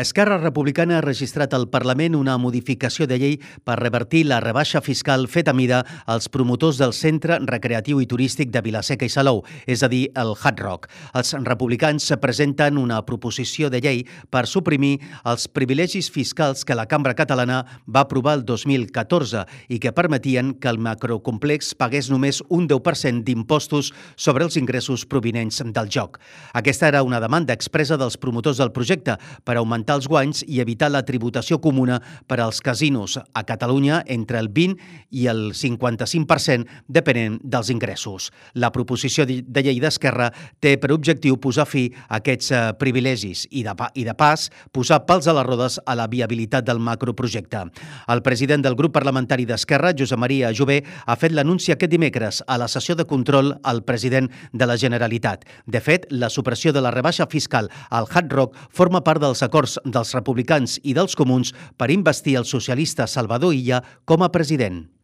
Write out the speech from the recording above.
Esquerra Republicana ha registrat al Parlament una modificació de llei per revertir la rebaixa fiscal feta a mida als promotors del Centre Recreatiu i Turístic de Vila-seca i Salou, és a dir, el Hard Rock. Els republicans presenten una proposició de llei per suprimir els privilegis fiscals que la Cambra Catalana va aprovar el 2014 i que permetien que el macrocomplex pagués només un 10% d'impostos sobre els ingressos provinents del joc. Aquesta era una demanda expressa dels promotors del projecte per augmentar els guanys i evitar la tributació comuna per als casinos a Catalunya entre el 20 i el 55%, depenent dels ingressos. La proposició de llei d'Esquerra té per objectiu posar fi a aquests privilegis i de pas posar pals a les rodes a la viabilitat del macroprojecte. El president del grup parlamentari d'Esquerra, Josep Maria Jové, ha fet l'anunci aquest dimecres a la sessió de control al president de la Generalitat. De fet, la supressió de la rebaixa fiscal al Hard Rock forma part dels acords dels republicans i dels comuns per investir el socialista Salvador Illa com a president.